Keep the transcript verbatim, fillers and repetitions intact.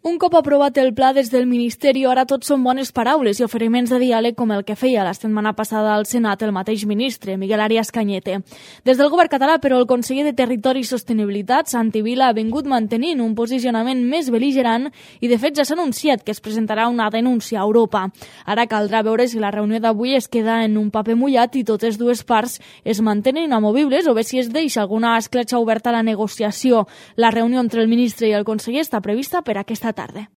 Un cop aprovat el pla des del Ministeri, ara tot són bones paraules i oferiments de diàleg com el que feia la setmana passada al Senat el mateix ministre, Miguel Arias Cañete. Des del govern català, però, el conseller de Territori i Sostenibilitat, Santi Vila, ha vingut mantenint un posicionament més bel·ligerant i, de fet, ja s'ha anunciat que es presentarà una denúncia a Europa. Ara caldrà veure si la reunió d'avui es queda en un paper mullat i totes dues parts es mantenen inamovibles o bé si es deixa alguna escletxa oberta a la negociació. La reunió entre el ministre i el conseller està prevista per aquesta tarda.